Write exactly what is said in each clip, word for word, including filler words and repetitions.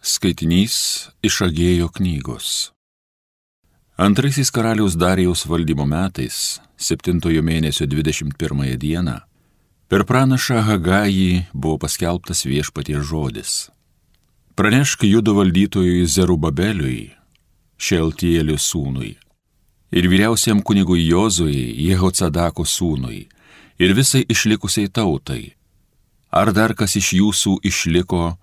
Skaitinys iš Agėjo knygos. Antraisiais karaliaus Darijaus valdymo metais, septintojo mėnesio dvidešimt pirmąją dieną, per pranašą Hagajį buvo paskelbtas Viešpaties žodis. Pranešk Judo valdytojui Zerubabeliui, Šealtielio sūnui, ir vyriausiam kunigui Jozui, Jehocadako sūnui, ir visai išlikusiai tautai. Ar dar kas iš jūsų išliko,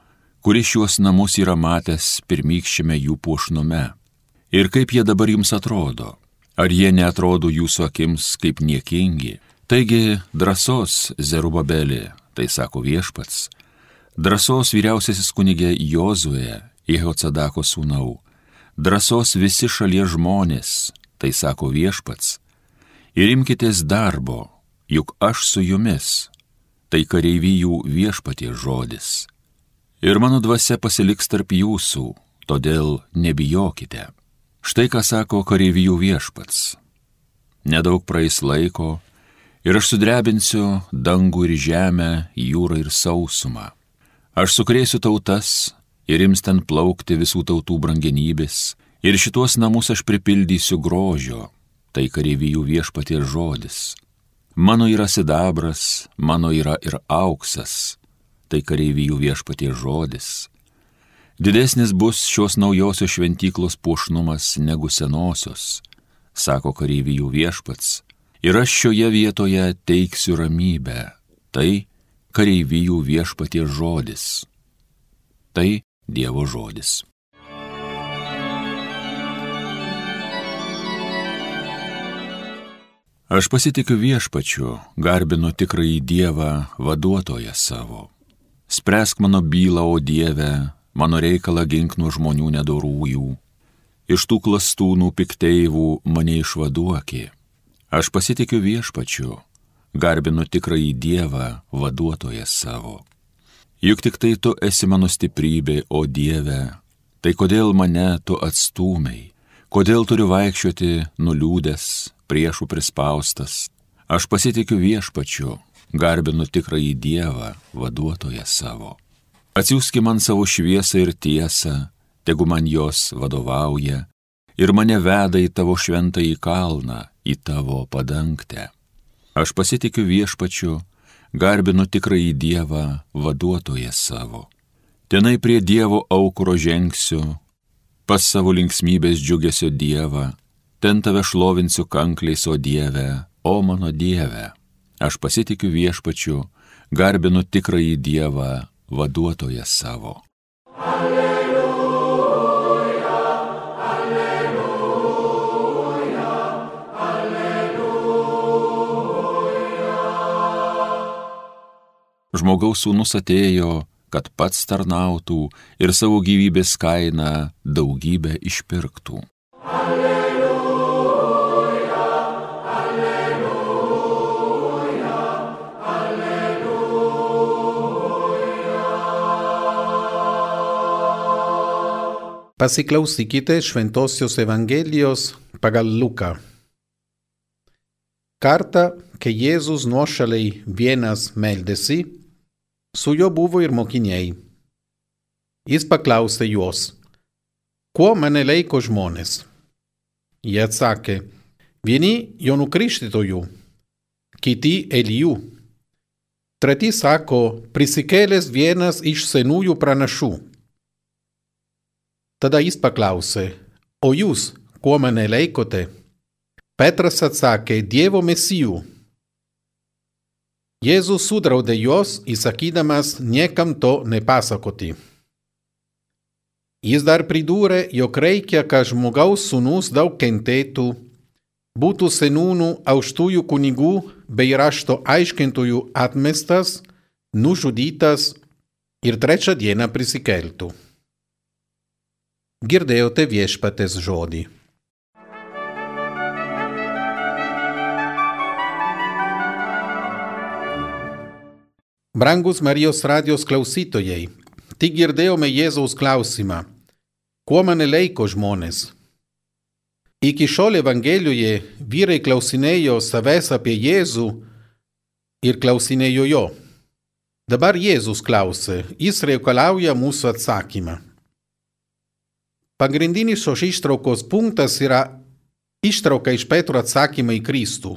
kuris šiuos namus yra matęs pirmykščiame jų puošnume? Ir kaip jie dabar jums atrodo? Ar jie neatrodo jūsų akims kaip niekingi? Taigi, drąsos, Zerubabelė, tai sako Viešpats, drąsos vyriausiasis kunigė Jozuė, Jehocadako sūnau, drąsos visi šalies žmonės, tai sako Viešpats, ir imkitės darbo, juk aš su jumis, tai kareivijų Viešpaties žodis. Ir mano dvasia pasiliks tarp jūsų, todėl nebijokite. Štai ką sako kareivijų Viešpats. Nedaug praeis laiko, ir aš sudrebinsiu dangų ir žemę, jūrą ir sausumą. Aš sukrėsiu tautas, ir ims ten plaukti visų tautų brangenybės, ir šitos namus aš pripildysiu grožio, tai kareivijų Viešpaties žodis. Mano yra sidabras, mano yra ir auksas, tai kareivijų Viešpaties žodis. Didesnis bus šios naujosios šventyklos puošnumas negu senosios, sako kareivijų Viešpats, ir aš šioje vietoje teiksiu ramybę, tai kareivijų Viešpaties žodis. Tai Dievo žodis. Aš pasitikiu Viešpačiu, garbinu tikrąjį Dievą, vaduotoją savo. Spręsk mano bylą, o Dieve, mano reikalą gink nuo žmonių nedorųjų. Iš tų klastūnų pikteivų mane išvaduoki. Aš pasitikiu Viešpačiu, garbinu tikrąjį Dievą, vaduotoją savo. Juk tik tai tu esi mano stiprybė, o Dieve, tai kodėl mane tu atstūmei, kodėl turiu vaikščioti nuliūdęs, priešų prispaustas. Aš pasitikiu Viešpačiu, garbinu tikrąjį Dievą, vaduotoją savo. Atsiųski man savo šviesą ir tiesą, tegu man jos vadovauja, ir mane veda į tavo šventąjį kalną, į tavo padangtę. Aš pasitikiu Viešpačiu, garbinu tikrąjį Dievą, vaduotoją savo. Tenai prie Dievo aukuro žengsiu, pas savo linksmybės džiugesio Dievą, ten tave šlovinsiu kankliais, o Dieve, o mano Dieve. Aš pasitikiu Viešpačiu, garbinu tikrąjį Dievą, vaduotoją savo. Alleluja, alleluja, alleluja. Žmogaus sūnus atėjo, kad pats tarnautų ir savo gyvybės kainą daugybę išpirktų. Pasiklausykite Šventosios Evangelijos pagal Luką. Kartą, kai Jėzus nuošaliai vienas meldėsi, su juo buvo ir mokiniai. Jis paklausė juos, kuo mane laiko žmonės? Jie atsakė, vieni Jonu Krikštytoju, kiti Elijų. Treti sako, prisikėlęs vienas iš senųjų pranašų. Tada jis paklausė, o jūs, kuo mane laikote? Petras atsakė, Dievo Mesijų. Jėzus sudraudė juos, įsakydamas niekam to nepasakoti. Jis dar pridūrė, jog reikia, kad žmogaus sūnus daug kentėtų, būtų seniūnų, aukštųjų kunigų bei rašto aiškintojų atmestas, nužudytas ir trečią dieną prisikeltų. Girdėjote Viešpaties žodį. Brangus Marijos radijos klausytojai, tik girdėjome Jėzaus klausimą, kuo mane laiko žmonės? Iki šiol Evangelijoje vyrai klausinėjo savęs apie Jėzų ir klausinėjo jo. Dabar Jėzus klausė, jis reikalauja mūsų atsakymą. pagrindinis šios ištraukos punktas yra ištrauka iš Petro atsakymą į Kristų.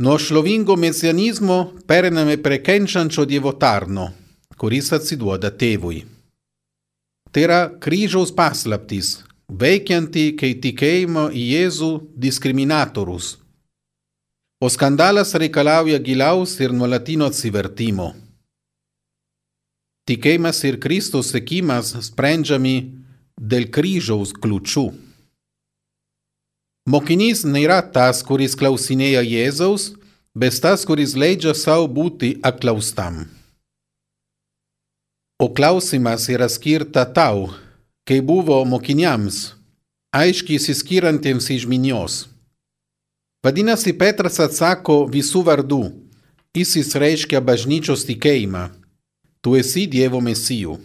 Nuo šlovingo mesianizmo pereiname prie kenčiančio Dievo tarno, kuris atsiduoda tėvui. Tai yra kryžiaus paslaptis, veikianti kaip tikėjimo į Jėzų diskriminatorius. O skandalas reikalauja giliaus ir nuolatinio atsivertimo. Tikėjimas ir Kristus sekimas sprendžiami dėl kryžiaus kliūčių. Mokinys nėra tas, kuris klausinėja Jėzaus, bet tas, kuris leidžia savo būti apklaustam. O klausimas yra skirta tau, kai buvo mokiniams, aiškiai išsiskyrantiems iš minios. Vadinasi, Petras atsako visų vardų, jis reiškia bažnyčios tikėjimą, tu esi Dievo mesijų.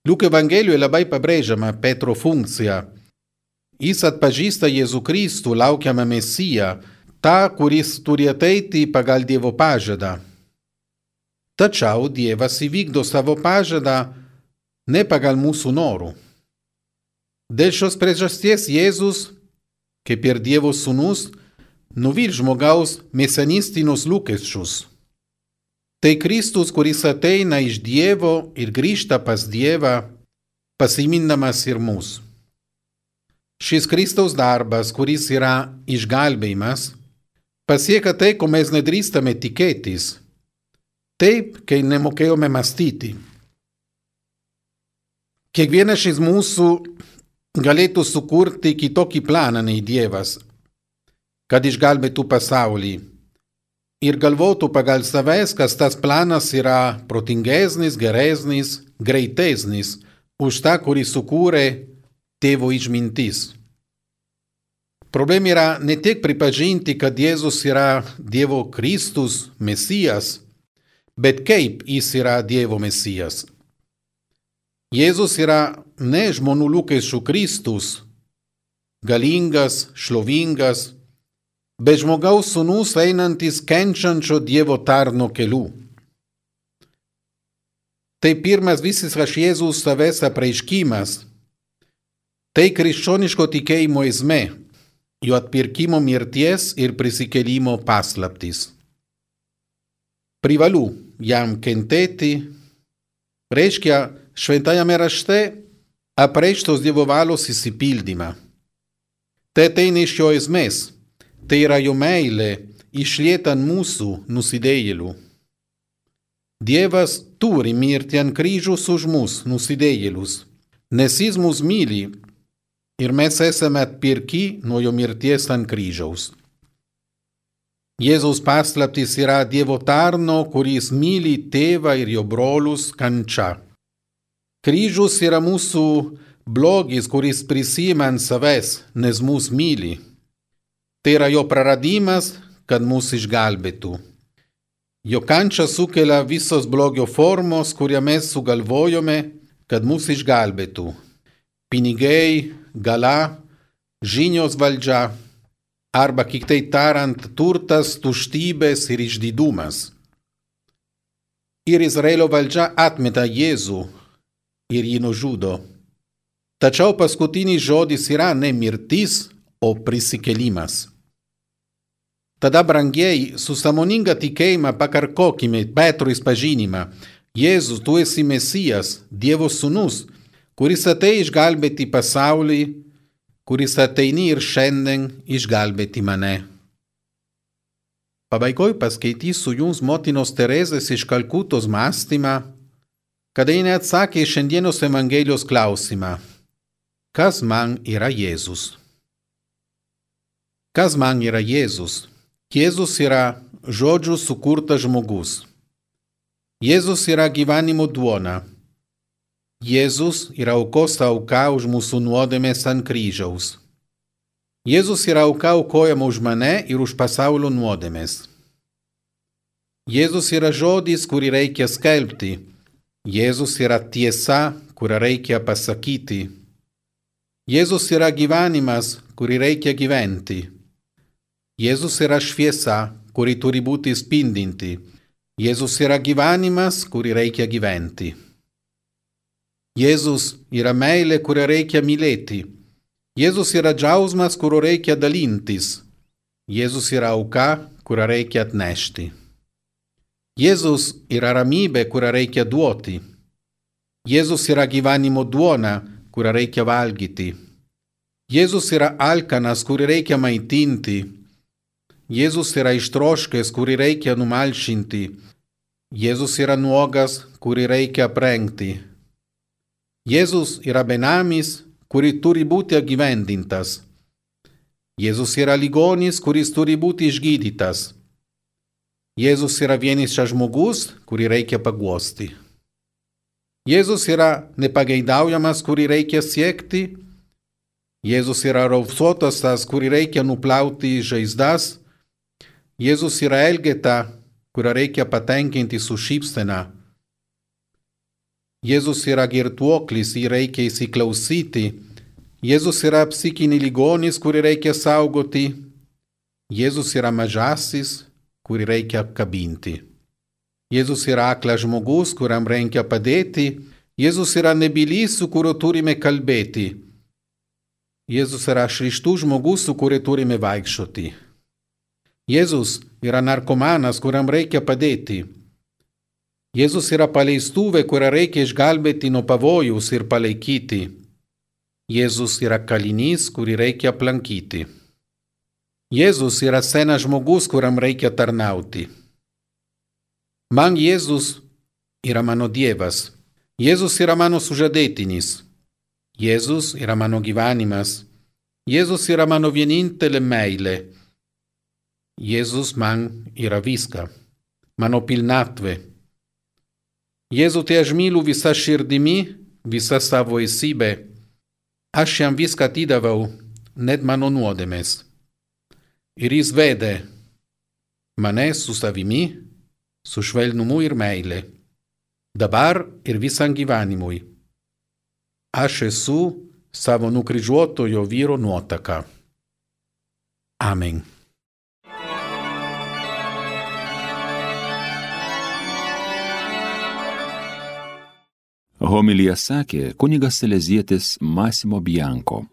Liuko Evangelijoje labai pabrėžiama Petro funkcija. Jis atpažįsta Jėzų Kristų, laukiamą mesiją, tą, kuris turi ateiti pagal Dievo pažadą. Tačiau Dievas įvykdo savo pažadą ne pagal mūsų norų. Dėl šios priežasties Jėzus, kaip ir Dievo sūnus, nuvil žmogaus mesianistinius lūkesčius. Tai Kristus, kuris ateina iš Dievo ir grįžta pas Dievą, pasimindamas ir mus. Šis Kristaus darbas, kuris yra išgelbėjimas, pasieka tai, ko mes nedrįstame tikėtis, taip, kai nemokėjome mąstyti. Kiekvienas iš mūsų galėtų sukurti kitokį planą nei Dievas, kad išgelbėtų pasaulį, ir galvotų pagal savęs, kas tas planas yra protingesnis, geresnis, greitesnis už tą, kurį sukūrė Tėvo išmintis. Problema yra ne tik pripažinti, kad Jėzus yra Dievo Kristus, Mesijas, bet kaip jis yra Dievo Mesijas. Jėzus yra ne žmonių lūkesčių Kristus, galingas, šlovingas, bet žmogaus sūnus einantis kenčiančio Dievo tarno keliu. Tai pirmas visiškas Jėzus savęs apreiškimas. Tai krikščioniško tikėjimo esmė, jo atpirkimo mirties ir prisikėlimo paslaptis. Privalu jam kentėti, reiškia šventajame rašte apreikštos Dievo valios išsipildymą. Tai ateina iš jo esmės, tai yra jo meilė išlieta ant mūsų nusidėjėlių. Dievas turi mirti ant kryžiaus už mus, nusidėjėlius, nes jis mus myli ir mes esame atpirkti nuo jo mirties ant kryžiaus. Jėzaus paslaptis yra Dievo tarno, kuris myli tėvą ir jo brolius, kančia. Kryžius yra mūsų blogis, kuris prisima ant savęs, nes mus myli. Tai yra jo praradimas, kad mus išgelbėtų. Jo kančia sukelia visos blogio formos, kurią mes sugalvojome, kad mus išgelbėtų. Pinigai, gala, žinios valdžia, arba kitaip tariant, turtas, tuštybės ir išdidumas. Ir Izraelio valdžia atmeta Jėzų ir jį nužudo. Tačiau paskutinis žodis yra ne mirtis, o prisikėlimas. Tada, brangieji, su sąmoninga tikėjimą pakartokime Petro išpažinimą. Jėzus, tu esi Mesijas, Dievo sūnus, kuris atėjo išgelbėti pasaulį, kuris ateini ir šiandien išgelbėti mane. Pabaigoj paskaitysiu jums motinos Terezės iš Kalkutos mąstymą, kada ji atsakė šiandienos Evangelijos klausimą. Kas man yra Jėzus? Kas man yra Jėzus? Jėzus yra žodžių sukurtas žmogus. Jėzus yra gyvenimo duona. Jėzus yra aukos auka už mūsų nuodėmes ant kryžiaus. Jėzus yra auka aukojama už mane ir už pasaulio nuodėmes. Jėzus yra žodis, kurį reikia skelbti. Jėzus yra tiesa, kurią reikia pasakyti. Jėzus yra gyvenimas, kurį reikia gyventi. Jėzus yra šviesa, kuri turi būti spindinti. Jėzus yra gyvenimas, kurį reikia gyventi. Jėzus yra meilė, kurią reikia mylėti. Jėzus yra džiaugsmas, kuriuo reikia dalintis. Jėzus yra auka, kurią reikia atnešti. Jėzus yra ramybė, kurią reikia duoti. Jėzus yra gyvenimo duona, kurią reikia valgyti. Jėzus yra alkanas, kurį reikia maitinti. Jėzus yra ištroškęs, kurį reikia numalšinti. Jėzus yra nuogas, kurį reikia aprengti. Jėzus yra benamis, kurį turi būti apgyvendintas. Jėzus yra ligonis, kuris turi būti išgydytas. Jėzus yra vienišas žmogus, kurį reikia paguosti. Jėzus yra nepageidaujamas, kurį reikia siekti. Jėzus yra raupsuotas, tas, kurį reikia nuplauti žaizdas. Jėzus yra elgeta, kurią reikia patenkinti su šypsena. Jėzus yra girtuoklis, jį reikia įsiklausyti. Jėzus yra psichinį ligonis, kurį reikia saugoti. Jėzus yra mažasis, kurį reikia apkabinti. Jėzus yra aklas žmogus, kuriam reikia padėti. Jėzus yra nebylys, su kuriuo turime kalbėti. Jėzus yra šrištus žmogus, su kuriuo turime vaikščioti. Jėzus yra narkomanas, kuriam reikia padėti. Jėzus yra paleistuvė, kurią reikia išgelbėti nuo pavojus ir palaikyti. Jėzus yra kalinys, kurį reikia aplankyti. Jėzus yra senas žmogus, kuriam reikia tarnauti. Man Jėzus yra mano Dievas. Jėzus yra mano sužadėtinis. Jėzus yra mano gyvenimas. Jėzus yra mano vienintelė meilė. Jėzus man yra viską, mano pilnatvė. Jėzu, te aš myliu visa širdimi, visa savo esybė. Aš jam viską atidaviau, net mano nuodėmes. Ir jis vedė mane su savimi, su švelnumu ir meile. Dabar ir visam gyvenimui. Aš esu savo nukryžiuotojo vyro nuotaka. Amen. Homiliją sakė kunigas salezietis Massimo Bianco.